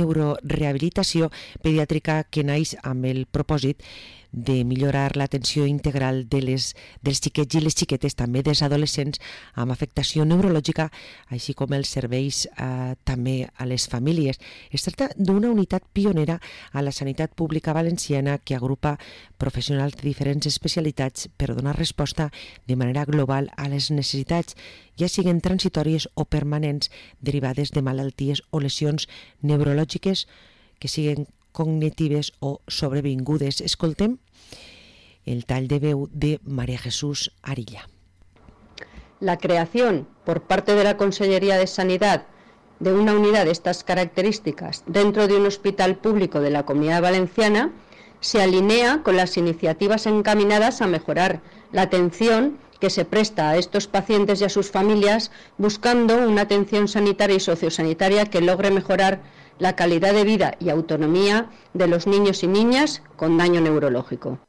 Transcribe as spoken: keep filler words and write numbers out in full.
neurorehabilitació pediàtrica que naix amb el propòsit de millorar l'atenció integral de les, dels xiquets i les xiquetes, també dels adolescents amb afectació neurològica, així com els serveis eh, també a les famílies. Es tracta d'una unitat pionera a la sanitat pública valenciana que agrupa professionals de diferents especialitats per donar resposta de manera global a les necessitats, ja siguin transitòries o permanents, derivades de malalties o lesions neurològiques que siguin cognitives o sobrevingudes. Escoltem el tall de veu de María Jesús Arilla. La creación por parte de la Consellería de Sanidad de una unidad de estas características dentro de un hospital público de la Comunidad Valenciana se alinea con las iniciativas encaminadas a mejorar la atención que se presta a estos pacientes y a sus familias, buscando una atención sanitaria y sociosanitaria que logre mejorar la calidad de vida y autonomía de los niños y niñas con daño neurológico.